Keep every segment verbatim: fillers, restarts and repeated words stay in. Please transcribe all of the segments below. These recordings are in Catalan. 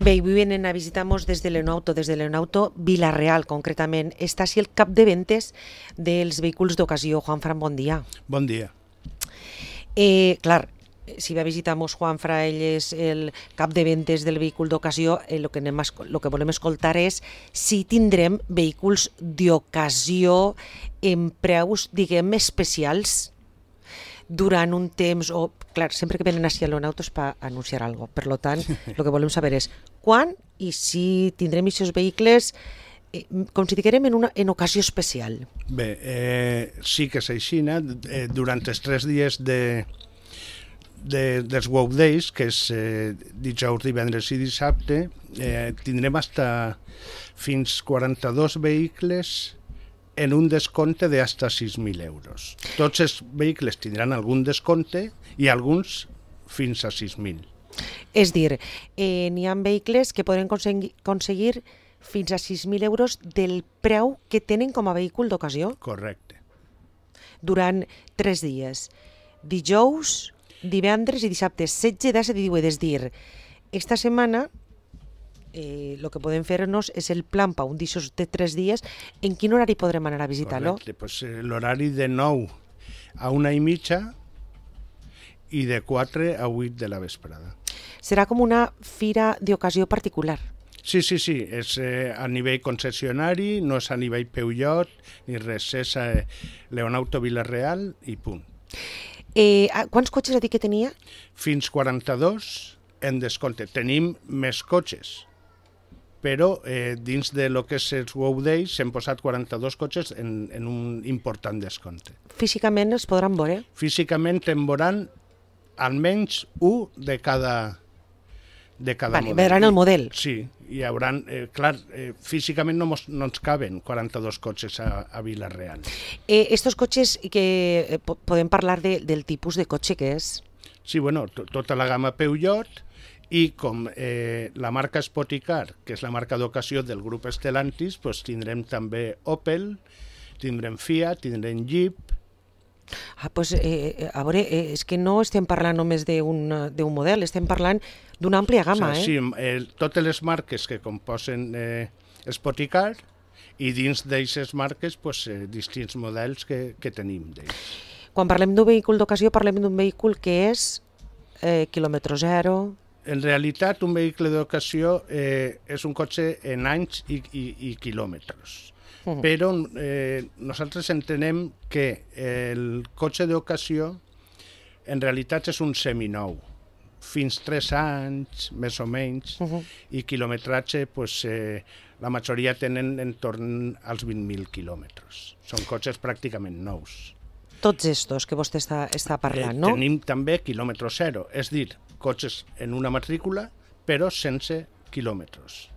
Bé, avui venen a visitar-nos des de Leonauto, des de Leonauto Vila-real, concretament. Està així el cap de ventes dels vehicles d'ocasió. Juanfran, bon dia. Bon dia. Eh, clar, si va visitar-nos Juanfra, ell és el cap de ventes del vehicle d'ocasió, el eh, que, anem a, lo que volem escoltar és si tindrem vehicles d'ocasió en preus, diguem, especials durant un temps, o, clar, sempre que venen així a Leonauto és per anunciar alguna cosa. Per tant, el que volem saber és quan i si tindrem aquests vehicles, eh, com si diguem, en una en ocasió especial. Bé, eh, sí que és així, eh, durant els tres dies de, de, dels Wow Days, que és eh, dijous, divendres i dissabte, eh, tindrem hasta fins quaranta-dos vehicles en un descompte de hasta sis mil euros. Tots els vehicles tindran algun descompte i alguns fins a sis mil. És dir, eh, n'hi ha vehicles que poden aconseguir, aconseguir fins a sis mil euros del preu que tenen com a vehicle d'ocasió? Correcte. Durant tres dies. Dijous, divendres i dissabte, setze, disset i divuit. És dir, esta setmana el eh, que podem fer-nos és el plan per un d'aixòs de tres dies. En quin horari podrem anar a visitar-lo? Correcte, pues, eh, l'horari de nou a una i mitja i de quatre a vuit de la vesprada. Serà com una fira d'ocasió particular? Sí, sí, sí, és eh, a nivell concessionari, no és a nivell Peugeot ni res, és a Leonauto Vila-real i punt. Eh, quants cotxes ha dit que tenia? Fins quaranta-dos en descompte. Tenim més cotxes, però eh, dins de lo que és els Wow Days s'han posat quaranta-dos cotxes en, en un important descompte. Físicament es podran veure? Físicament en veuran almenys un de cada, de cada vale, model. Veuran el model. Sí, hi haurà, eh, clar, eh, físicament no, mos, no ens caben quaranta-dos cotxes a, a Vila-real. Eh, estos cotxes que eh, podem parlar de, del tipus de cotxe que és? Sí, bueno, to, tota la gamma Peugeot, i com eh, la marca Spoticar, que és la marca d'ocasió del grup Stellantis, pues tindrem també Opel, tindrem Fiat, tindrem Jeep. Ah, pues, eh, a veure, eh, és que no estem parlant només d'un model, estem parlant d'una àmplia gamma, o sigui, eh? Sí, eh, totes les marques que composen eh, Spoticar i dins d'aquestes marques pues, eh, distints models que, que tenim d'ells. Quan parlem d'un vehicle d'ocasió, parlem d'un vehicle que és eh, quilòmetre zero. En realitat, un vehicle d'ocasió eh, és un cotxe en anys i, i, i quilòmetres. Uh -huh. Però eh, nosaltres entenem que el cotxe d'ocasió en realitat és un seminou, fins tres anys, més o menys, uh -huh. i quilometratge, pues, eh, la majoria tenen en torn als vint mil quilòmetres. Són cotxes pràcticament nous. Tots estos que vostè està, està parlant, eh, no? Tenim també quilòmetre zero, és dir, cotxes en una matrícula, però sense quilòmetres.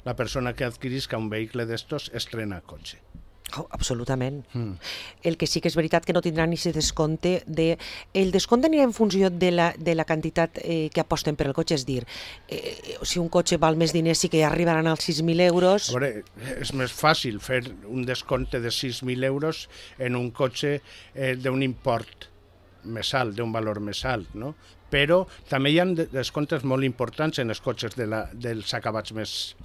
La persona que adquirisca un vehicle d'estos estrena cotxe. Oh, absolutament. Mm. El que sí que és veritat que no tindrà ni aquest descompte. De... El descompte anirà en funció de la, de la quantitat eh, que aposten per el cotxe, és dir, eh, si un cotxe val més diners sí que arribaran als sis mil euros. A veure, és més fàcil fer un descompte de sis mil euros en un cotxe eh, d'un import més alt, d'un valor més alt, no? Però també hi ha descomptes molt importants en els cotxes de la, dels acabats més,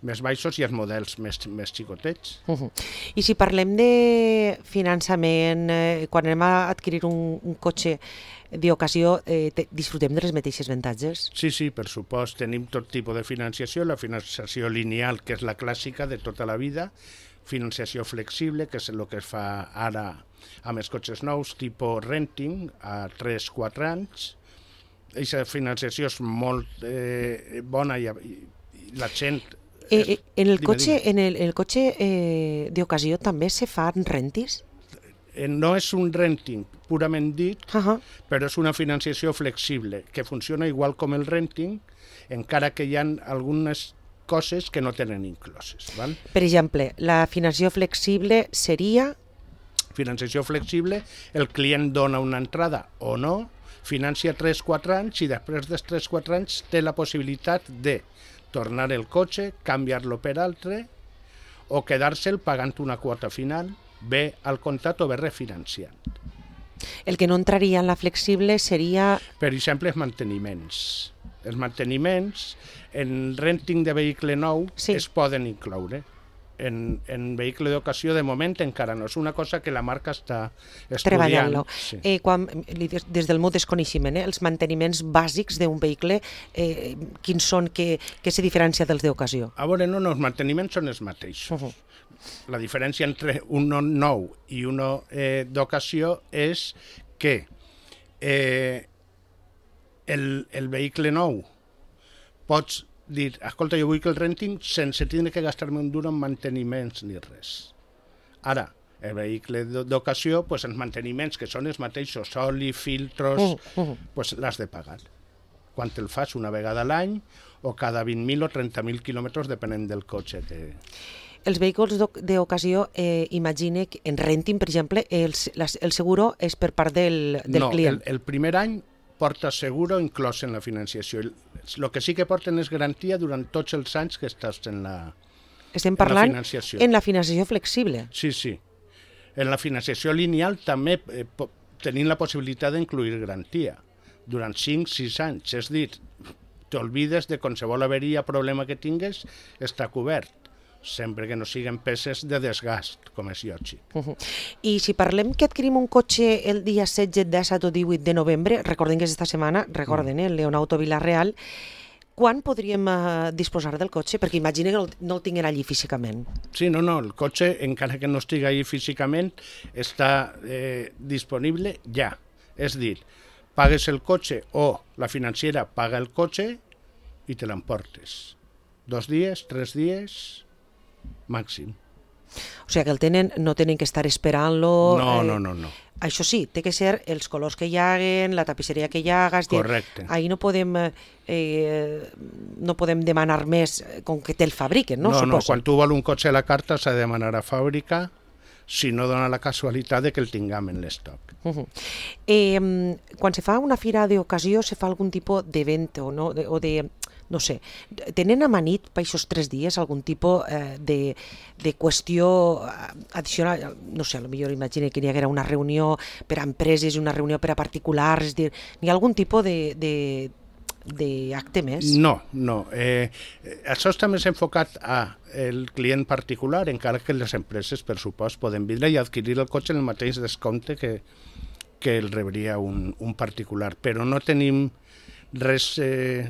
més baixos i els models més, més xicotets. Uh -huh. I si parlem de finançament, eh, quan anem a adquirir un, un cotxe d'ocasió, eh, disfrutem de les mateixes avantatges? Sí, sí, per supost. Tenim tot tipus de financiació, la financiació lineal, que és la clàssica de tota la vida, financiació flexible, que és el que es fa ara amb els cotxes nous, tipus renting, a tres a quatre anys. Aquesta financiació és molt eh, bona i, i la gent... Eh, eh, en el dime, cotxe, dime. en el, el cotxe eh, d'ocasió també se fan rentis? Eh, no és un renting purament dit, Uh -huh. però és una financiació flexible, que funciona igual com el renting, encara que hi ha algunes coses que no tenen incloses. Val? Per exemple, la financiació flexible seria... Financiació flexible, el client dona una entrada o no, financia tres a quatre anys i després dels tres a quatre anys té la possibilitat de tornar el cotxe, canviar-lo per altre o quedar-se'l pagant una quota final, bé al comptat o bé refinanciant. El que no entraria en la flexible seria... Per exemple, els manteniments. Els manteniments en renting de vehicle nou Sí. es poden incloure. En, en vehicle d'ocasió, de moment, encara no. És una cosa que la marca està estudiant. Treballant-lo. Sí. Eh, quan, li des des del meu desconeixement, eh, els manteniments bàsics d'un vehicle, eh, quins són, que, que se diferencia dels d'ocasió? A veure, no, no, els manteniments són els mateixos. Uh -huh. La diferència entre un nou i un eh, d'ocasió és que eh, el, el vehicle nou pots dir, escolta, jo vull que el renting sense tindre que gastar-me un duro en manteniments ni res. Ara, el vehicle d'ocasió, pues, els manteniments que són els mateixos, oli, filtros, uh -huh. pues, l'has de pagar. Quan te'l fas una vegada a l'any o cada vint mil o trenta mil quilòmetres, depenent del cotxe que... Els vehicles d'ocasió, eh, imagine que en renting, per exemple, el, el seguro és per part del, del no, client. No, el, el primer any porta seguro inclòs en la financiació. El, el que sí que porten és garantia durant tots els anys que estàs en la, Estem parlant en la financiació. En la financiació flexible. Sí, sí. En la financiació lineal també eh, tenim la possibilitat d'incluir garantia durant cinc o sis anys. És dir, t'olvides de qualsevol averia, problema que tingues, està cobert, sempre que no siguin peces de desgast, com és lògic. Uh -huh. I si parlem que adquirim un cotxe el dia setze, disset o divuit de novembre, recordem que és esta setmana, recorden, eh, el Leonauto Vila-real, quan podríem eh, disposar del cotxe? Perquè imagina que no, no el tinguin allí físicament. Sí, no, no, el cotxe, encara que no estigui allí físicament, està eh, disponible ja. És dir, pagues el cotxe o la financiera paga el cotxe i te l'emportes. Dos dies, tres dies... màxim. O sigui que el tenen, no tenen que estar esperant-lo... No, eh, no, no, no. Això sí, té que ser els colors que hi haguen, la tapisseria que hi haga... Correcte. Ahir no podem, eh, no podem demanar més com que te'l fabriquen, no? No, Suposo. no, quan tu vols un cotxe a la carta s'ha de demanar a fàbrica, si no dona la casualitat de que el tinguem en l'estoc. Uh -huh. eh, quan se fa una fira d'ocasió, se fa algun tipus d'event o, no? de, o de... no sé, tenen amanit per aquests tres dies algun tipus eh, de, de qüestió addicional? No sé, potser imagina que hi haguera una reunió per a empreses i una reunió per a particulars, és dir, hi ha algun tipus de, de, d'acte més? No, no. Eh, això està més enfocat a el client particular, encara que les empreses, per supost, poden vindre i adquirir el cotxe en el mateix descompte que, que el rebria un, un particular, però no tenim res... Eh,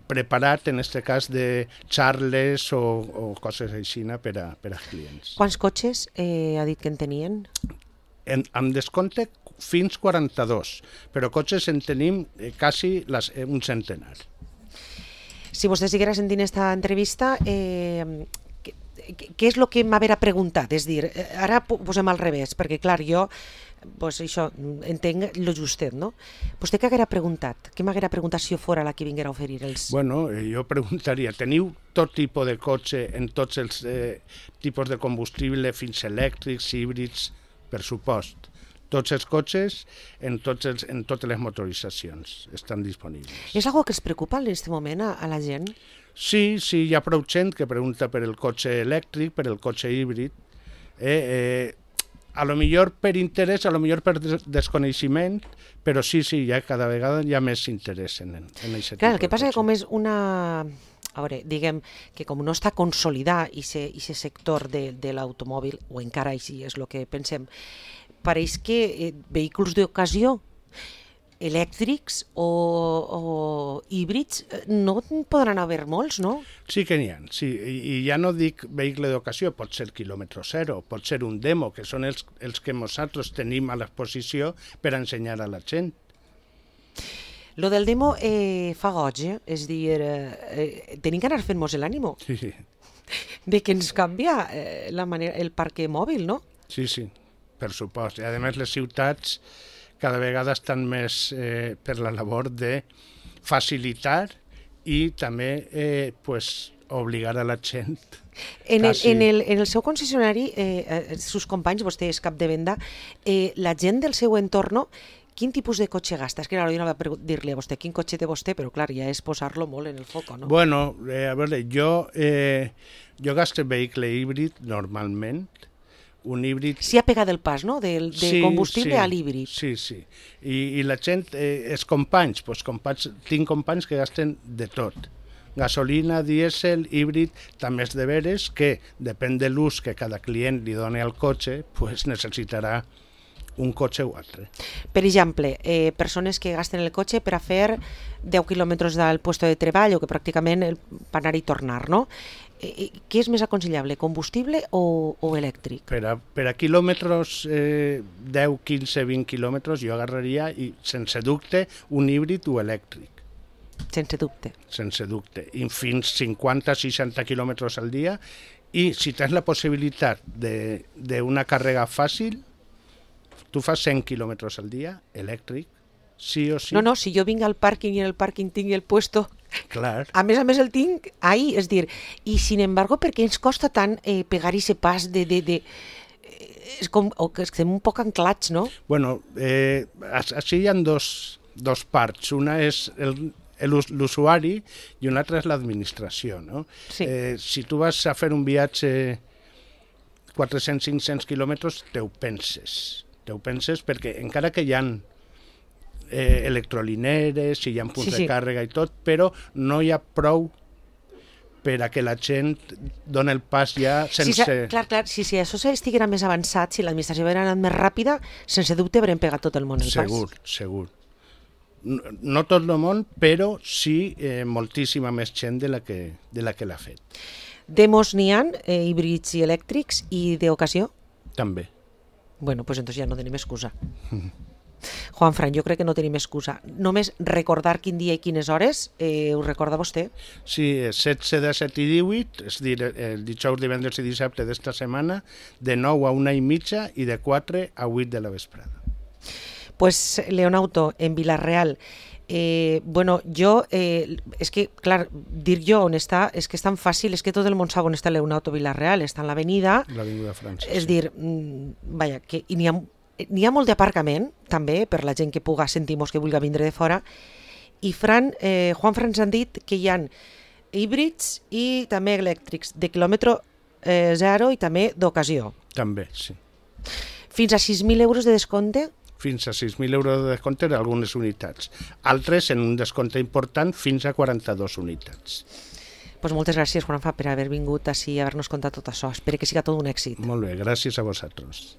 preparat, en aquest cas, de xarles o, o coses així per a, per als clients. Quants cotxes eh, ha dit que en tenien? En, amb descompte fins quaranta-dos, però cotxes en tenim eh, quasi les, eh, un centenar. Si vostè estiguera sentint aquesta entrevista, eh, què, què és el que m'haverà preguntat? És dir, ara posem al revés, perquè clar, jo pues això, entenc lo justet, no? Vostè què haguera preguntat? Què m'haguera preguntat si jo fora la que vinguera a oferir els... Bueno, jo preguntaria, teniu tot tipus de cotxe en tots els eh, tipus de combustible, fins elèctrics, híbrids, per supost. Tots els cotxes en, tots els, en totes les motoritzacions estan disponibles. És algo que es preocupa en aquest moment a, a la gent? Sí, sí, hi ha prou gent que pregunta per el cotxe elèctric, per el cotxe híbrid. Eh, eh, a lo millor per interès, a lo millor per desconeixement, però sí, sí, ja cada vegada hi ha més interès en, en aquest tipus. Clar, el que passa que com és una... A veure, diguem que com no està consolidat aquest sector de, de l'automòbil, o encara així és el que pensem, pareix que eh, vehicles d'ocasió elèctrics o, o híbrids no podran haver molts, no? Sí que n'hi ha, sí. I, i ja no dic vehicle d'ocasió, pot ser quilòmetre zero, pot ser un demo, que són els, els que nosaltres tenim a l'exposició per ensenyar a la gent. Lo del demo eh, fa goig, eh? És dir, eh, tenim que anar fent-nos l'ànimo Sí, sí. de que ens canvia eh, la manera, el parc mòbil, no? Sí, sí, per supost. I a més les ciutats cada vegada estan més eh, per la labor de facilitar i també eh, pues, obligar a la gent. En el, en el, en el seu concessionari, eh, els seus companys, vostè és cap de venda, eh, la gent del seu entorn, quin tipus de cotxe gasta? És que ara jo no va dir-li a vostè quin cotxe té vostè, però clar, ja és posar-lo molt en el foc, no? Bueno, eh, a veure, jo, eh, jo gasto vehicle híbrid normalment, un híbrid... Sí ha pegat el pas, no?, del de sí, combustible sí, a l'híbrid. Sí, sí. I, i la gent, eh, els companys, doncs companys, tinc companys que gasten de tot. Gasolina, dièsel, híbrid, també és de veres que, depèn de l'ús que cada client li doni al cotxe, pues necessitarà un cotxe o altre. Per exemple, eh, persones que gasten el cotxe per a fer deu quilòmetres del puesto de treball o que pràcticament el, per anar i tornar, no? Eh, què és més aconsellable, combustible o, o elèctric? Per a, per a quilòmetres, eh, deu, quinze, vint quilòmetres, jo agarraria, i sense dubte, un híbrid o elèctric. Sense dubte. Sense dubte. I fins cinquanta seixanta quilòmetres al dia. I si tens la possibilitat d'una càrrega fàcil, tu fas cent quilòmetres al dia, elèctric, sí o sí. No, no, si jo vinc al pàrquing i en el pàrquing tinc el puesto, clar. A més a més el tinc ahí, és dir, i sin embargo, per què ens costa tant eh, pegar ese pas de... de, de és com, o que estem un poc anclats, no? Bueno, eh, així hi ha dos, dos parts. Una és el, l'usuari i una altra és l'administració, no? Sí. Eh, si tu vas a fer un viatge quatre-cents a cinc-cents quilòmetres, te ho penses. Te ho penses perquè encara que hi ha eh, electrolineres, hi ha punts sí, sí. de càrrega i tot, però no hi ha prou per a que la gent doni el pas ja sense... Sí, clar, clar, si, si això estiguera més avançat, si l'administració haguera anat més ràpida, sense dubte haurem pegat tot el món el segur, pas. Segur, segur. No, no tot el món, però sí eh, moltíssima més gent de la que, de la que l'ha fet. Demos n'hi ha, eh, híbrids i elèctrics, i d'ocasió? També. Bueno, pues entonces ja no tenim excusa. Juanfran, jo crec que no tenim excusa. Només recordar quin dia i quines hores, eh, ho recorda vostè? Sí, setze, disset i divuit, és dir, el dijous, divendres i dissabte d'esta setmana, de nou a una i mitja i de quatre a vuit de la vesprada. Pues Leonauto, en Vila-real, eh, bueno, jo, eh, és que, clar, dir jo on està, és que és tan fàcil, és que tot el món sap on està Leonauto Vila-real, està en l'avenida... L'avinguda França. És sí. dir, vaja, que n'hi ha, n'hi ha molt d'aparcament, també, per la gent que puga sentir-nos que vulgui vindre de fora, i Fran, eh, Juanfran ens han dit que hi ha híbrids i també elèctrics, de quilòmetre eh, zero i també d'ocasió. També, sí. Fins a sis mil euros de descompte? Fins a sis mil euros de descompte d'algunes unitats. Altres en un descompte important fins a quaranta-dues unitats. Pues moltes gràcies, Juanfa, per haver vingut així i haver-nos contat tot això. Espero que siga tot un èxit. Molt bé, gràcies a vosaltres.